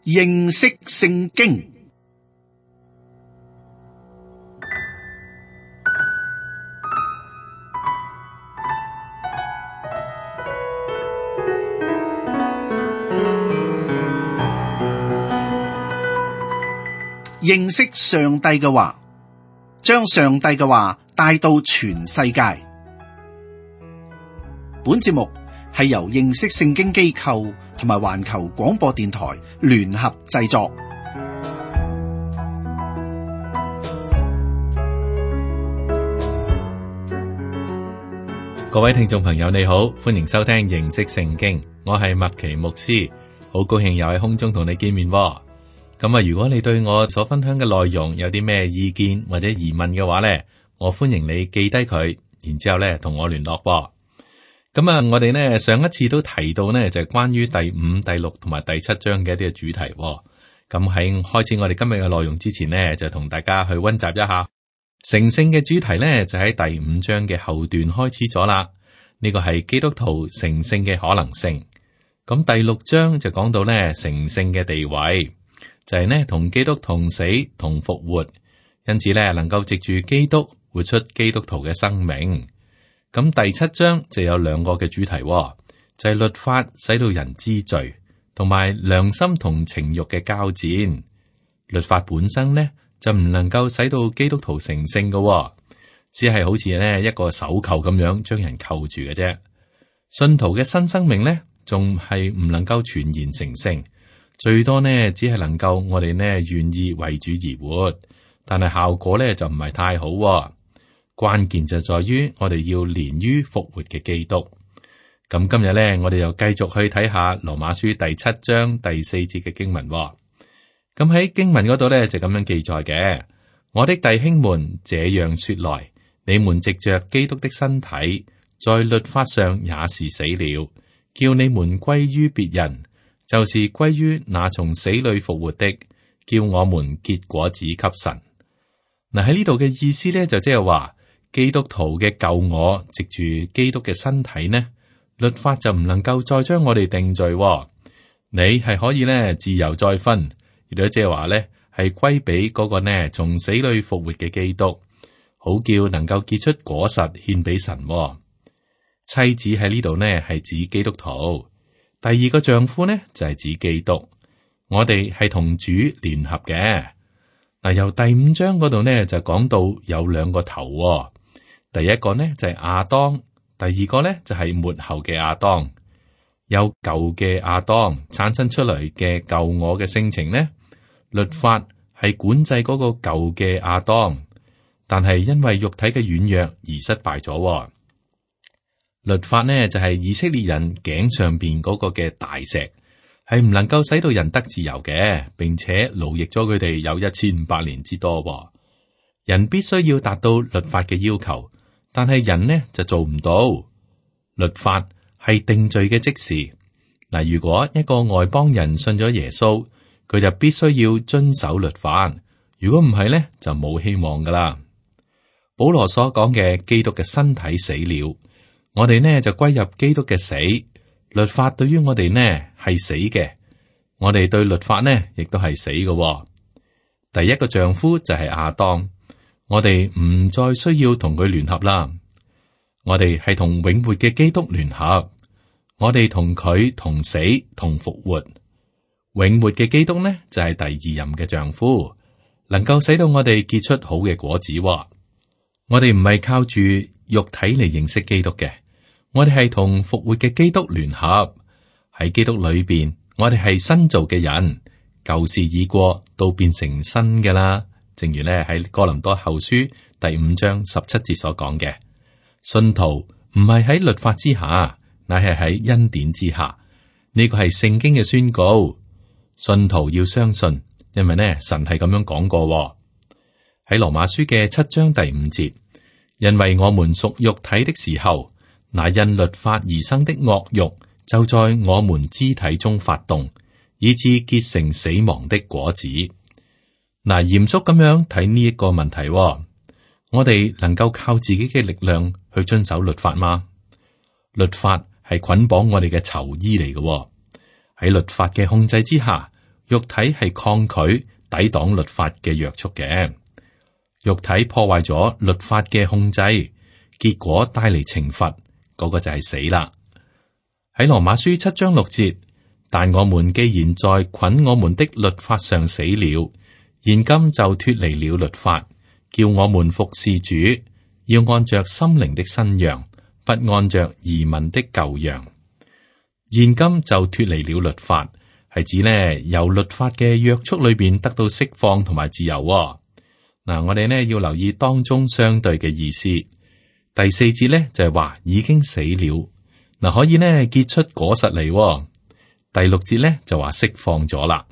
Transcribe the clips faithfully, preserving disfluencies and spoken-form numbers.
認識聖經。認識上帝嘅話，將上帝嘅話帶到全世界。本節目係由認識聖經機構同埋環球廣播電台聯合製作。各位聽眾朋友，你好，歡迎收聽認識聖經，我係麥奇牧師，好高興又喺空中同你見面。咁啊，如果你對我所分享嘅內容有啲咩意見或者疑問嘅話呢，我歡迎你記低佢，然之後咧同我聯絡。咁啊，我哋呢上一次都提到呢，就係關於第五、第六同埋第七章嘅一啲嘅主題。咁喺開始我哋今日嘅內容之前呢，就同大家去溫習一下成聖嘅主題呢，就喺第五章嘅後段開始咗啦。呢個係基督徒成聖嘅可能性。咁第六章就講到呢成聖嘅地位。就係呢，同基督同死同復活，因此咧能夠藉住基督活出基督徒嘅生命。咁第七章就有兩個嘅主題，就係律法使到人知罪，同埋良心同情慾嘅交戰。律法本身呢就唔能夠使到基督徒成聖嘅，只係好似呢一個手扣咁樣將人扣住嘅啫。信徒嘅新生命呢，仲係唔能夠全然成聖。最多呢，只係能夠我哋呢願意為主而活，但係效果呢就唔係太好。關鍵就在於我哋要連於復活嘅基督。咁今日呢，我哋又繼續去睇下羅馬書第七章第四節嘅經文。咁喺經文嗰度呢，就咁樣記載嘅：我的弟兄們，這樣說來，你們藉着基督的身體，在律法上也是死了，叫你們歸於別人。就是歸於那從死裏復活的，叫我們結果子給神。嗱，喺呢度嘅意思咧，就即係話基督徒嘅舊我藉住基督嘅身體呢，律法就唔能夠再將我哋定罪。你係可以咧自由再分，亦都即係話咧係歸俾嗰個呢從死裏復活嘅基督，好叫能夠結出果實獻俾神。妻子喺呢度呢係指基督徒。第二個丈夫呢就係、是、指基督，我哋係同主聯合嘅。嗱，由第五章嗰度呢就講到有兩個頭、哦，第一個呢就係、是、亞當，第二個呢就係、是、末後嘅亞當。有舊嘅亞當產生出嚟嘅舊我嘅性情呢，律法係管制嗰個舊嘅亞當，但係因為肉體嘅軟弱而失敗咗、哦。律法呢就係以色列人頸上邊嗰個嘅大石，係唔能夠使到人得自由嘅，並且奴役咗佢哋有一千五百年之多。人必須要達到律法嘅要求，但係人呢就做唔到。律法係定罪嘅職事。嗱，如果一個外邦人信咗耶穌，佢就必須要遵守律法。如果唔係呢，就冇希望噶啦。保羅所講嘅基督嘅身體死了。我哋呢就歸入基督嘅死，律法對於我哋呢係死嘅，我哋對律法呢亦都係死嘅。第一個丈夫就係亞當，我哋唔再需要同佢聯合啦，我哋係同永活嘅基督聯合，我哋同佢同死同復活。永活嘅基督呢就係第二任嘅丈夫，能夠使到我哋結出好嘅果子。我哋唔係靠住肉體嚟認識基督嘅。我哋係同復活嘅基督聯合，喺基督裏邊，我哋係新造嘅人，舊事已過，都變成新嘅啦。正如咧喺哥林多後書第五章十七節所講嘅，信徒唔係喺律法之下，乃係喺恩典之下。呢個係聖經嘅宣告，信徒要相信，因為呢神係咁樣講過。喺羅馬書嘅七章第五節，因為我們屬肉體的時候，那因律法而生的惡慾就在我們肢體中發動，以致結成死亡的果子。嗱，嚴肅咁樣睇呢一個問題，我哋能夠靠自己嘅力量去遵守律法嗎？律法係捆綁我哋嘅囚衣嚟嘅，喺律法嘅控制之下，肉體係抗拒、抵擋律法嘅約束嘅。肉體破壞咗律法嘅控制，結果帶嚟懲罰，嗰個就係死啦。喺羅馬書七章六節，但我們既然在捆我們的律法上死了，現今就脫離了律法，叫我們服侍主，要按着心靈的新樣，不按着儀文的舊樣。現今就脫離了律法，係指呢由律法嘅約束裏邊得到釋放同埋自由。嗱，我哋呢要留意當中相對嘅意思。第四節呢就係話已經死了，嗱可以呢結出果實嚟。第六節呢就話釋放咗啦。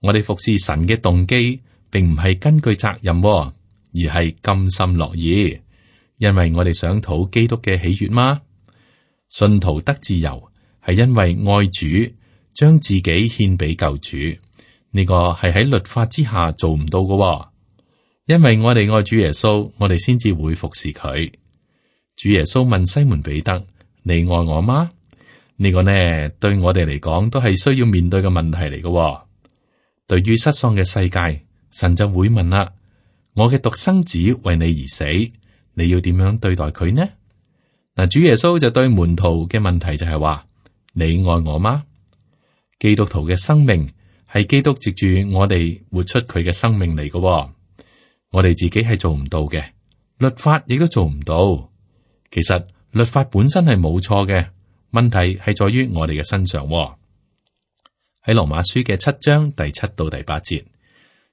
我哋服侍神嘅動機，並唔係根據責任，而係甘心樂意，因為我哋想討基督嘅喜悅嗎？信徒得自由，係因為愛主，將自己獻俾救主。呢個係喺律法之下做唔到嘅。因為我哋愛主耶穌，我哋先至會服侍佢。主耶穌問西門彼得：你愛我嗎？呢個呢，對我哋嚟講都係需要面對嘅問題嚟嘅。對於失喪嘅世界，神就會問啦：我嘅獨生子為你而死，你要點樣對待佢呢？嗱，主耶穌就對門徒嘅問題就係話：你愛我嗎？基督徒嘅生命係基督藉住我哋活出佢嘅生命嚟嘅。我哋自己係做唔到嘅，律法亦都做唔到。其實律法本身係冇錯嘅，問題係在於我哋嘅身上。喺羅馬書嘅七章第七到第八節，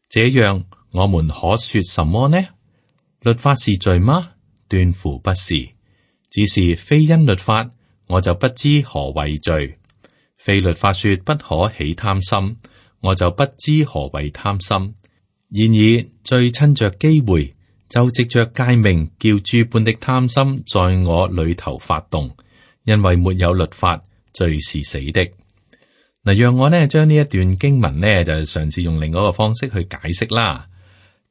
這樣我們可說什麼呢？律法是罪嗎？斷乎不是，只是非因律法，我就不知何為罪。非律法說不可起貪心，我就不知何為貪心。然而罪趁着機會，就藉着誡命，叫諸般的貪心在我裏頭發動。因為沒有律法，罪是死的。嗱，讓我呢將呢一段經文呢就嘗試用另外一個方式去解釋啦。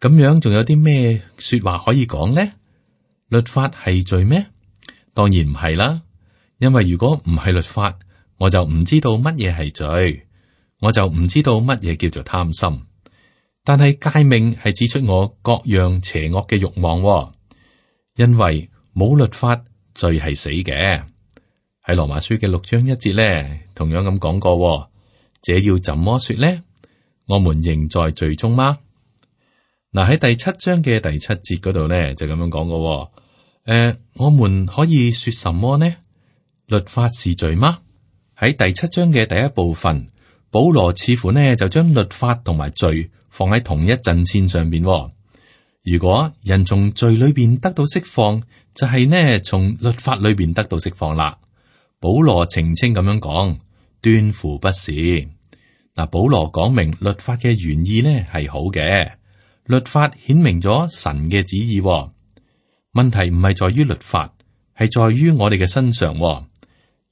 咁樣仲有啲咩說話可以講呢？律法係罪咩？當然唔係啦。因為如果唔係律法，我就唔知道乜嘢係罪，我就唔知道乜嘢叫做貪心。但係誡命係指出我各樣邪惡嘅慾望，因為冇律法，罪係死嘅。喺羅馬書嘅六章一節咧，同樣咁講過，這要怎麼說呢？我們仍在罪中嗎？嗱，喺第七章嘅第七節嗰度咧就咁樣講過，誒、呃，我們可以說什麼呢？律法是罪嗎？喺第七章嘅第一部分，保羅似乎呢就將律法同埋罪放喺同一陣線上邊。如果人從罪裏邊得到釋放，就係呢從律法裏邊得到釋放啦。保羅澄清咁樣講，斷乎不是。嗱，保羅講明律法嘅原意呢係好嘅，律法顯明咗神嘅旨意。問題唔係在於律法，係在於我哋嘅身上。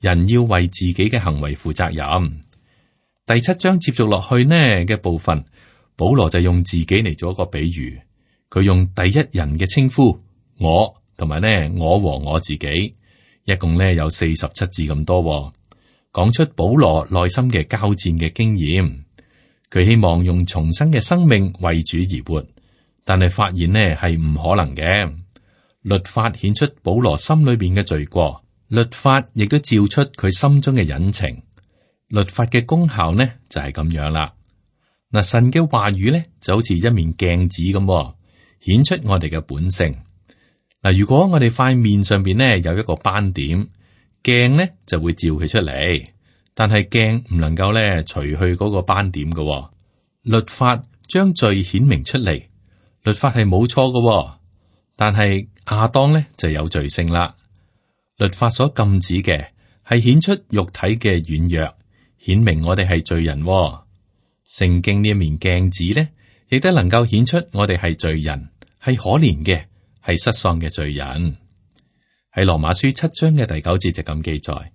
人要為自己嘅行為負責任。第七章接續落去呢嘅部分，保羅就用自己嚟做一個比喻，佢用第一人嘅稱呼我，同埋呢我和我自己，一共呢有四十七字咁多，講出保羅內心嘅交戰嘅經驗。佢希望用重生嘅生命為主而活，但係發現呢係唔可能嘅。律法顯出保羅心裏邊嘅罪過，律法亦都照出佢心中嘅隱情。律法嘅功效呢就係咁樣啦。嗱，神嘅話語咧就好似一面鏡子咁，顯出我哋嘅本性。嗱，如果我哋塊面上邊咧有一個斑點，鏡咧就會照佢出嚟，但係鏡唔能夠咧除去嗰個斑點嘅。律法將罪顯明出嚟，律法係冇錯嘅，但係亞當咧就有罪性啦。律法所禁止嘅係顯出肉體嘅軟弱，顯明我哋係罪人。聖經呢一面鏡子咧，亦都能夠顯出我哋係罪人，係可憐嘅，係失喪嘅罪人。喺羅馬書七章嘅第九節就咁記載：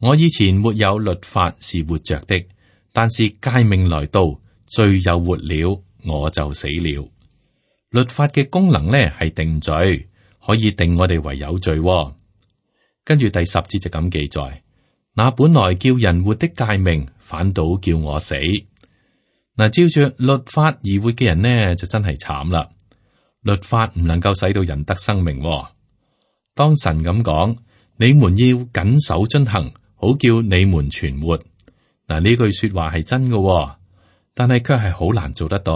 我以前沒有律法是活着的，但是誡命來到，罪又活了，我就死了。律法嘅功能咧係定罪，可以定我哋為有罪。跟住第十節就咁記載：那本來叫人活的誡命，反倒叫我死。嗱，照着律法而活嘅人呢，就真係慘啦。律法唔能夠使到人得生命。當神咁講，你們要謹守遵行，好叫你們存活。嗱，呢句說話係真嘅，但係卻係好難做得到。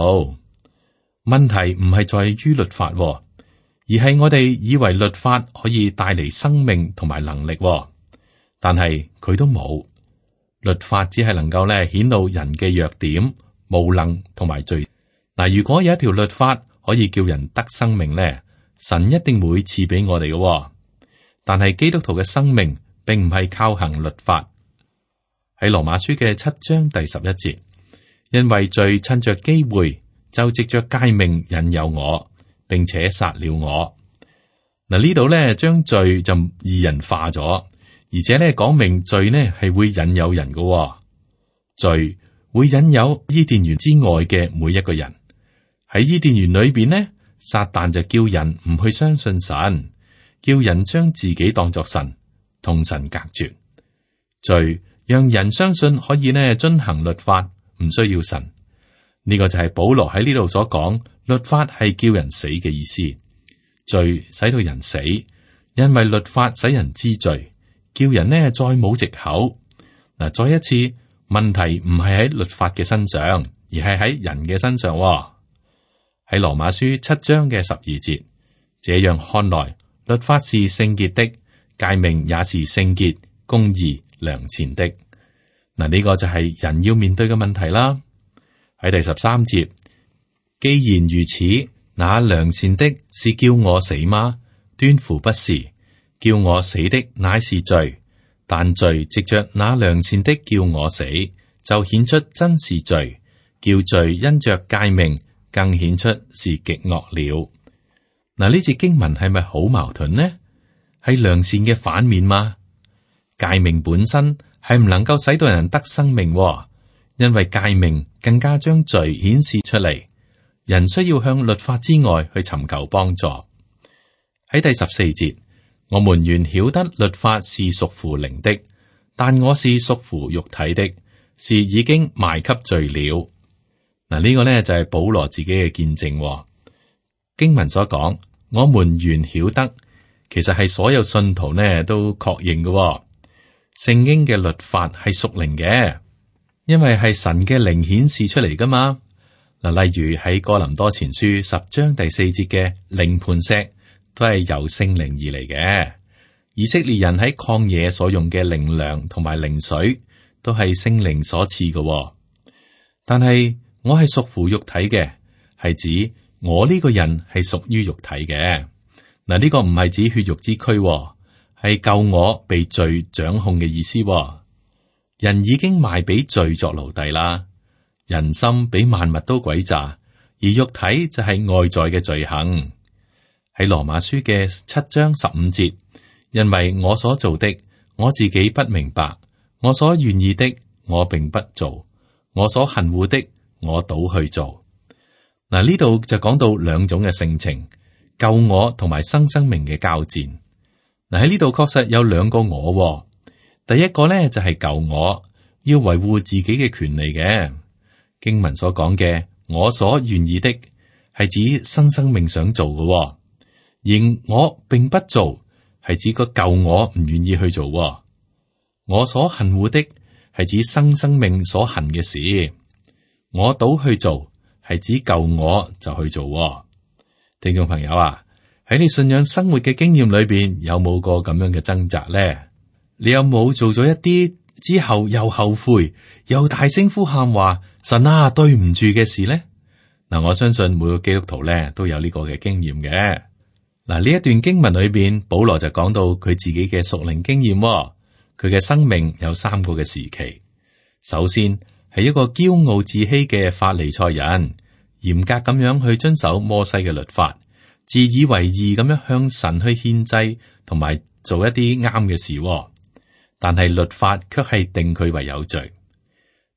問題唔係在於律法，而係我哋以為律法可以帶嚟生命同埋能力，但係佢都冇。律法只係能夠咧顯露人嘅弱點、無能同埋罪。嗱，如果有一條律法可以叫人得生命咧，神一定會賜俾我哋嘅。但係基督徒嘅生命並唔係靠行律法。喺羅馬書嘅七章第十一節，因為罪趁着機會就藉着誡命引誘我，並且殺了我。嗱，呢度咧將罪就擬人化咗，而且咧講明罪呢係會引誘人嘅。罪會引誘伊甸園之外嘅每一個人。喺伊甸園裏邊呢，撒旦就叫人唔去相信神，叫人將自己當作神，同神隔絕。罪讓人相信可以呢遵行律法，唔需要神。呢個就係保羅喺呢度所講，律法係叫人死嘅意思。罪使到人死，因為律法使人知罪，叫人呢再冇藉口。嗱，再一次，問題唔係喺律法嘅身上，而係喺人嘅身上。喺羅馬書七章嘅十二節，這樣看來，律法是聖潔的，誡命也是聖潔、公義、良善的。嗱，呢個就係人要面對嘅問題啦。喺第十三節，既然如此，那良善的是叫我死嗎？斷乎不是，叫我死的乃是罪，但罪藉着那良善的叫我死，就顯出真是罪，叫罪因着誡命更顯出是極惡了。嗱，呢節經文係咪好矛盾呢？係良善嘅反面嗎？誡命本身係唔能夠使到人得生命，因為誡命更加將罪顯示出嚟。人需要向律法之外去尋求幫助。喺第十四節，我們原曉得律法是屬乎靈的，但我是屬乎肉體的，是已經賣給罪了。嗱，呢個呢就係保羅自己嘅見證。經文所講，我們原曉得，其實係所有信徒呢都確認嘅。聖經嘅律法係屬靈嘅，因為係神嘅靈顯示出嚟噶嘛。嗱，例如喺哥林多前書十章第四節嘅靈磐石，都係由聖靈而嚟嘅。以色列人喺曠野所用嘅靈糧同埋靈水，都係聖靈所賜嘅。但係我係屬乎肉體嘅，係指我呢個人係屬於肉體嘅。嗱，呢個唔係指血肉之軀，係救我被罪掌控嘅意思。人已經賣俾罪作奴隸啦。人心比萬物都詭詐，而肉體就係外在嘅罪行。喺羅馬書嘅七章十五節，因為我所做的，我自己不明白；我所願意的，我並不做；我所恨惡的，我倒去做。嗱，呢度就講到兩種嘅性情，救我同埋生生命嘅交戰。嗱，喺呢度確實有兩個我。第一個呢，就係救我，要維護自己嘅權利嘅。經文所講嘅我所願意的，係指生生命想做嘅，而我並不做，係指個舊我唔願意去做。我所恨惡的，係指生生命所恨嘅事，我倒去做，係指舊我就去做。聽眾朋友啊，喺你信仰生活嘅經驗裏邊，有冇過咁樣嘅掙扎咧？你有冇做咗一啲之後又後悔，又大聲呼喊話神啊，對唔住嘅事呢？嗱，我相信每個基督徒咧都有呢個嘅經驗嘅。嗱，呢一段經文裏邊，保羅就講到佢自己嘅屬靈經驗。佢嘅生命有三個嘅時期。首先係一個驕傲自欺嘅法利賽人，嚴格咁樣去遵守摩西嘅律法，自以為義咁樣向神去獻祭，同埋做一啲啱嘅事。但係律法卻係定佢為有罪。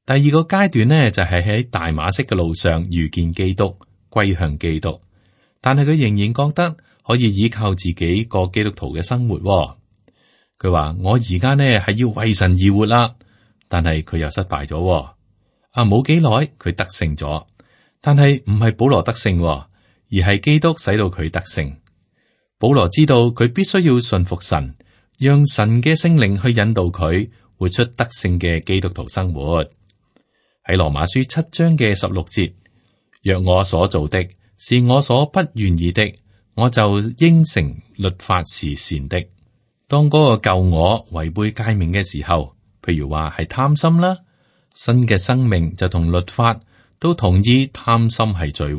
第二個階段呢，就係喺大馬色嘅路上遇見基督，歸向基督。但係佢仍然覺得可以依靠自己過基督徒嘅生活。佢話我而家呢係要為神而活啦，但係佢又失敗咗。啊，冇幾耐佢得勝咗，但係唔係保羅得勝，而係基督使到佢得勝。保羅知道佢必須要信服神，讓神嘅聖靈去引導佢活出得勝嘅基督徒生活。喺羅馬書七章嘅十六節，若我所做的是我所不願意的，我就應承律法是善的。當嗰個舊我違背誡命嘅時候，譬如話係貪心啦，新嘅生命就同律法都同意貪心係罪。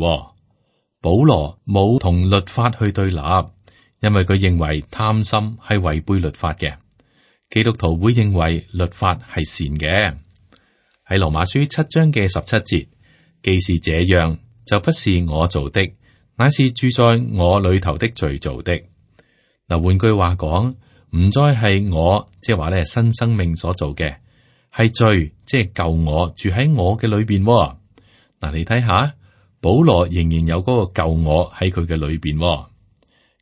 保羅冇同律法去對立，因為佢認為貪心係違背律法嘅。基督徒會認為律法係善嘅。喺羅馬書七章嘅十七節，既是這樣，就不是我做的，乃是住在我裏頭的罪做的。嗱，換句話講，唔再係我，即係話咧新生命所做嘅，係罪，即係舊我住喺我嘅裏邊。嗱，你睇下，保羅仍然有嗰個舊我喺佢嘅裏邊。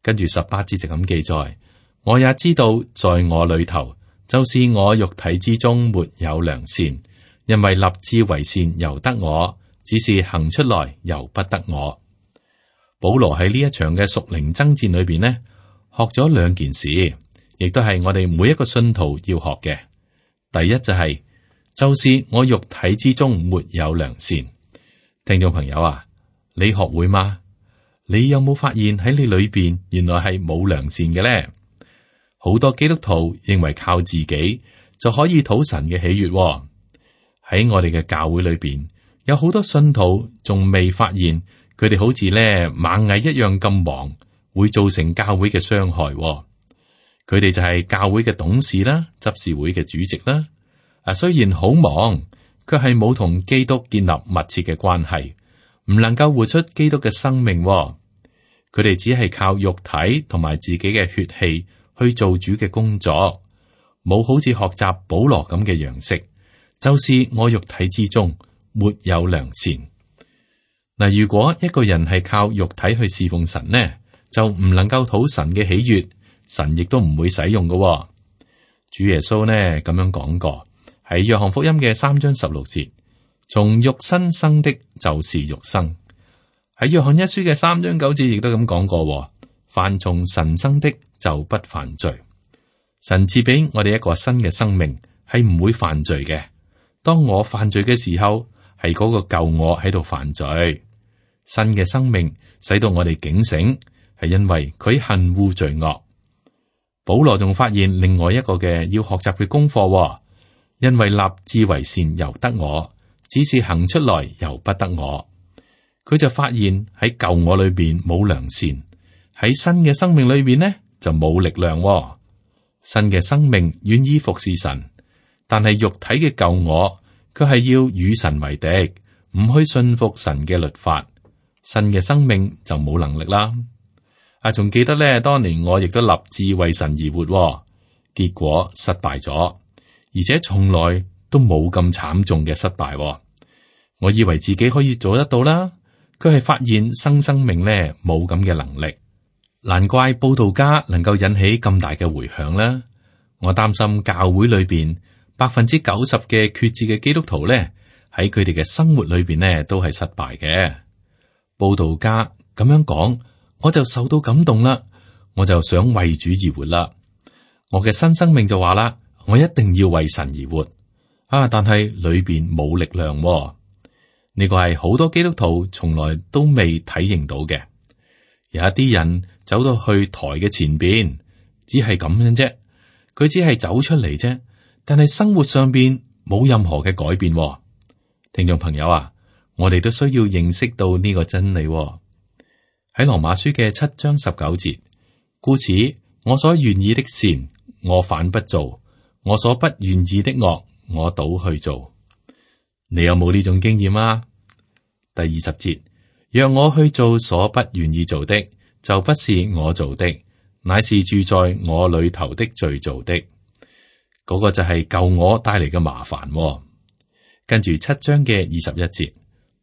跟住十八節就咁記載，我也知道在我裏頭，就是我肉體之中沒有良善，因為立志為善由得我，只是行出來由不得我。保羅喺呢一場嘅屬靈爭戰裏邊呢，學咗兩件事，亦都係我哋每一個信徒要學嘅。第一就係、是，就是我肉體之中沒有良善。聽眾朋友啊，你學會嗎？你有冇發現喺你裏邊原來係冇良善嘅咧？好多基督徒認為靠自己就可以討神嘅喜悅。喺我哋嘅教會裏邊，有好多信徒仲未發現佢哋好似咧螞蟻一樣咁忙，會造成教會嘅傷害。佢哋就係教會嘅董事啦、執事會嘅主席啦。啊，雖然好忙，卻係冇同基督建立密切嘅關係，唔能夠活出基督嘅生命。佢哋只係靠肉體同埋自己嘅血氣去做主嘅工作，冇好似學習保羅咁嘅樣式，就是我肉體之中沒有良善。嗱，如果一個人係靠肉體去侍奉神呢，就唔能夠討神嘅喜悅，神亦都唔會使用嘅。主耶穌呢咁樣講過，喺約翰福音嘅三章十六節，從肉身生的就是肉生。喺約翰一書嘅三章九節亦都咁講過，凡從神生的就不犯罪。神賜俾我哋一個新嘅生命，係唔會犯罪嘅。當我犯罪嘅時候，係嗰個舊我喺度犯罪。新嘅生命使到我哋警醒，係因為佢恨惡罪惡。保羅仲發現另外一個嘅要學習嘅功課，因為立志為善由得我，只是行出來由不得我。佢就發現喺舊我裏邊冇良善，喺新嘅生命裏邊呢就冇力量。新嘅生命願意服侍神，但係肉體嘅舊我佢係要與神為敵，唔去信服神嘅律法。新嘅生命就冇能力啦。啊，仲記得咧，當年我亦都立志為神而活，結果失敗咗，而且從來都冇咁慘重嘅失敗。我以為自己可以做得到啦。佢係發現新生命咧冇咁嘅能力，難怪佈道家能夠引起咁大嘅回響啦。我擔心教會裏邊百分之九十嘅決志嘅基督徒咧，喺佢哋嘅生活裏邊咧都係失敗嘅。佈道家咁樣講，我就受到感動啦，我就想為主而活啦。我嘅新生命就話啦，我一定要為神而活啊！但係裏邊冇力量。呢個係好多基督徒從來都未體認到嘅。有一啲人走到去台嘅前邊，只係咁樣啫，佢只係走出嚟啫，但係生活上邊冇任何嘅改變。聽眾朋友啊，我哋都需要認識到呢個真理。喺羅馬書嘅七章十九節，故此我所願意的善，我反不做；我所不願意的惡，我倒去做。你有冇呢種經驗啊？第二十節，讓我去做所不願意做的，就不是我做的，乃是住在我裏頭的罪做的。嗰、那個就係舊我帶嚟嘅麻煩。跟住七章嘅二十一節，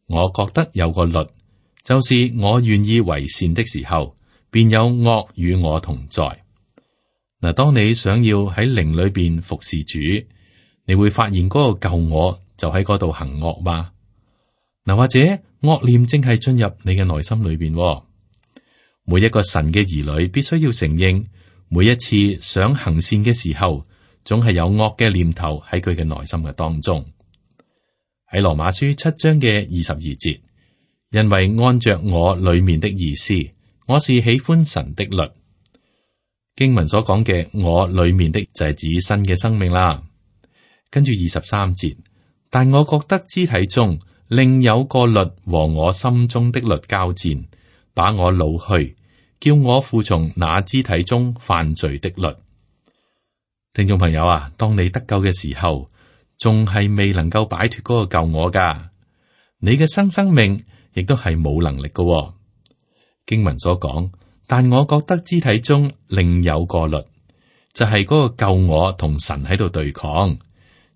我覺得有個律，就是我願意為善的時候，便有惡與我同在。嗱，當你想要喺靈裏邊服侍主，你會發現嗰個舊我就喺嗰度行惡嘛。嗱，或者惡念正係進入你嘅內心裏邊。每一個神嘅兒女必須要承認，每一次想行善嘅時候，總係有惡嘅念頭喺佢嘅內心嘅當中。喺羅馬書七章嘅二十二節，因為按着我裏面的意思，我是喜歡神的律。經文所講嘅我裏面的就係指新嘅生命啦。跟住二十三節，但我覺得肢體中另有個律和我心中的律交戰，把我擄去，叫我服從那肢體中犯罪的律。聽眾朋友啊，當你得救嘅時候，仲係未能夠擺脫嗰個舊我噶，你嘅新生命亦都係冇能力噶。經文所講，但我覺得肢體中另有個律，就係嗰個舊我同神喺度對抗，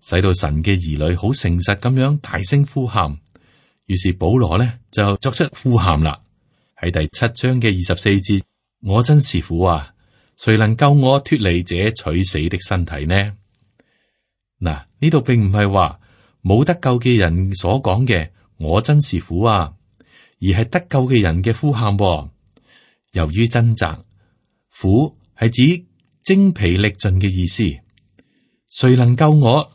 使到神嘅兒女好誠實咁樣大聲呼喊。於是保羅呢就作出呼喊啦，喺第七章嘅二十四節，我真是苦啊！誰能救我脱離這取死的身體呢？嗱，呢度並唔係話冇得救嘅人所講嘅我真是苦啊，而係得救嘅人嘅呼喊。由於掙扎，苦係指精疲力盡嘅意思。誰能救我？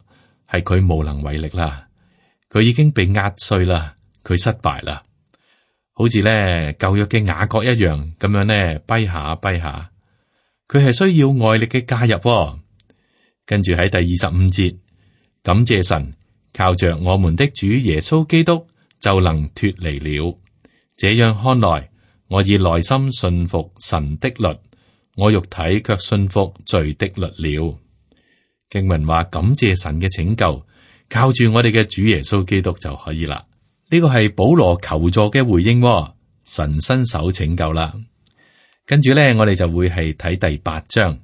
係佢無能為力啦，佢已經被壓碎啦，佢失敗啦，好似咧舊約嘅雅各一樣咁樣咧，跛下跛下，佢係需要外力嘅介入。跟住喺第二十五節，感謝神，靠着我們的主耶穌基督就能脫離了。這樣看來，我以內心信服神的律，我肉體卻信服罪的律了。經文話感謝神嘅拯救，靠住我哋嘅主耶穌基督就可以啦。呢個係保羅求助嘅回應，神伸手拯救啦。跟住咧，我哋就會係睇第八章。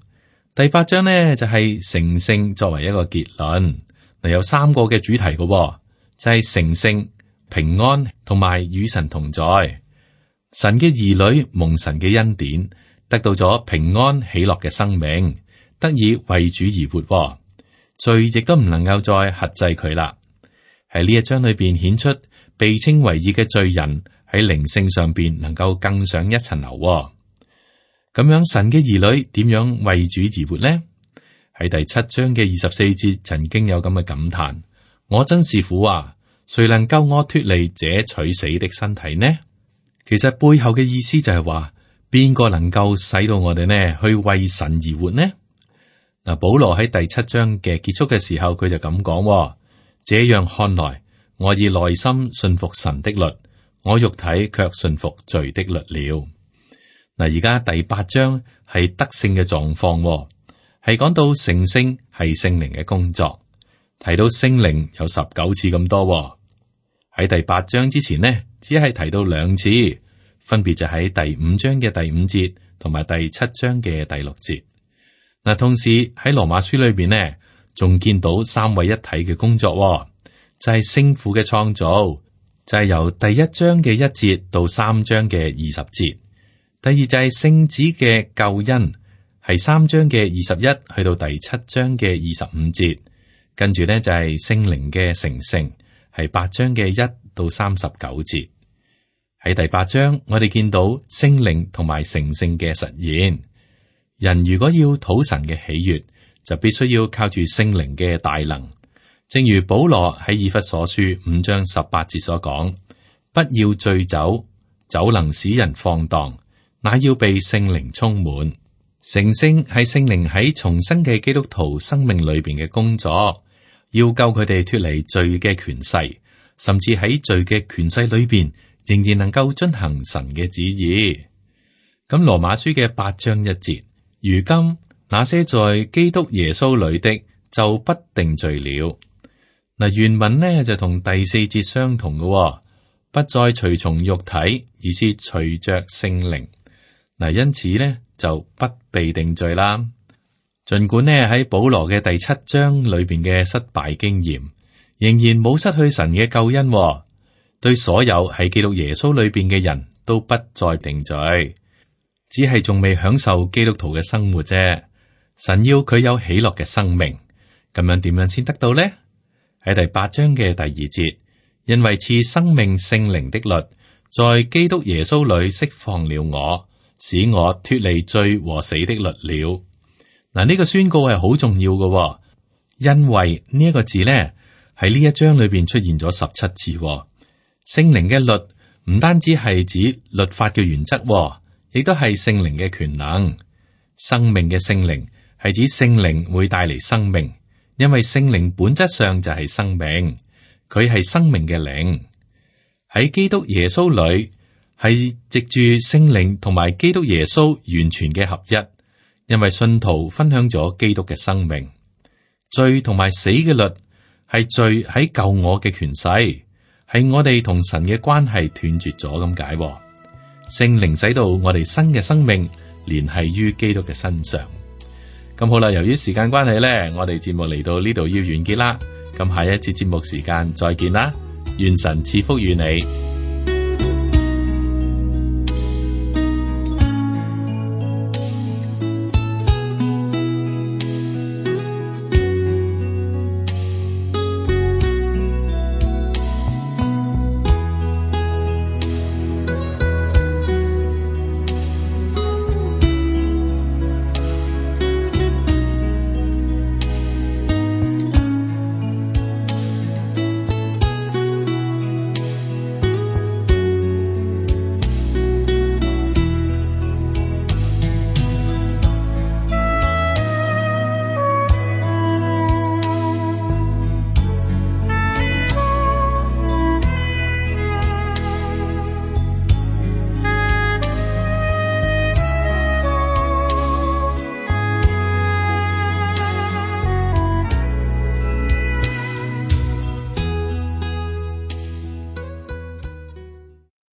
第八章咧就係成聖作為一個結論。嗱，有三個嘅主題嘅，就係成聖、平安同埋與神同在。神嘅兒女蒙神嘅恩典，得到咗平安喜樂嘅生命，得以為主而活。罪亦都唔能夠再轄制佢啦。喺呢一章裏邊顯出被稱為義嘅罪人喺靈性上邊能夠更上一層樓。咁樣神嘅兒女點樣為主而活呢？喺第七章嘅二十四節曾經有咁嘅感嘆：我真是苦啊！誰能救我脫離這取死的身體呢？其實背後嘅意思就係話，邊個能夠使到我哋呢去為神而活呢？嗱，保羅喺第七章嘅結束嘅時候，佢就咁講：這樣看來，我以內心信服神的律，我肉體卻信服罪的律了。嗱，而家第八章係得勝嘅狀況，係講到成聖係聖靈嘅工作，提到聖靈有十九次咁多。喺第八章之前呢，只係提到兩次，分別就喺第五章嘅第五節同埋第七章嘅第六節。嗱，同時喺羅馬書裏邊呢，仲見到三位一體嘅工作，就係聖父嘅創造，就係由第一章嘅一節到三章嘅二十節。第二就係聖子嘅救恩，係三章嘅二十一去到第七章嘅二十五節，跟住呢，就係聖靈嘅成聖，係八章嘅一到三十九節。喺第八章，我哋見到聖靈同埋成聖嘅實現。人如果要討神嘅喜悅，就必須要靠住聖靈嘅大能。正如保羅喺以弗所書五章十八節所講：不要醉酒，酒能使人放蕩。乃要被聖靈充滿。成聖係聖靈喺重生嘅基督徒生命裏邊嘅工作，要救佢哋脫離罪嘅權勢，甚至喺罪嘅權勢裏邊仍然能夠遵行神嘅旨意。咁羅馬書嘅八章一節，如今那些在基督耶穌裏的就不定罪了。嗱，原文呢就同第四節相同嘅，不再隨從肉體，而是隨着聖靈。嗱，因此咧就不被定罪啦。盡管呢喺保羅嘅第七章裏邊嘅失敗經驗，仍然冇失去神嘅救恩，對所有喺基督耶穌裏邊嘅人都不再定罪，只係仲未享受基督徒嘅生活啫。神要佢有喜樂嘅生命，咁樣點樣先得到呢？喺第八章嘅第二節，因為賜生命聖靈的律，在基督耶穌裏釋放了我，使我脫離罪和死的律了。嗱，呢個宣告係好重要嘅，因為呢一個字呢喺呢一章裏邊出現咗十七次。聖靈嘅律唔單止係指律法嘅原則，亦都係聖靈嘅權能。生命嘅聖靈係指聖靈會帶嚟生命，因為聖靈本質上就係生命，佢係生命嘅靈。喺基督耶穌裏，係藉住聖靈同埋基督耶穌完全嘅合一，因為信徒分享咗基督嘅生命。罪同埋死嘅律係罪喺救我嘅權勢，係我哋同神嘅關係斷絕咗咁解。聖靈使到我哋新嘅生命聯繫於基督嘅身上。咁好啦，由於時間關係呢，我哋節目嚟到呢度要完結啦。咁下一次節目時間再見啦，願神賜福於你。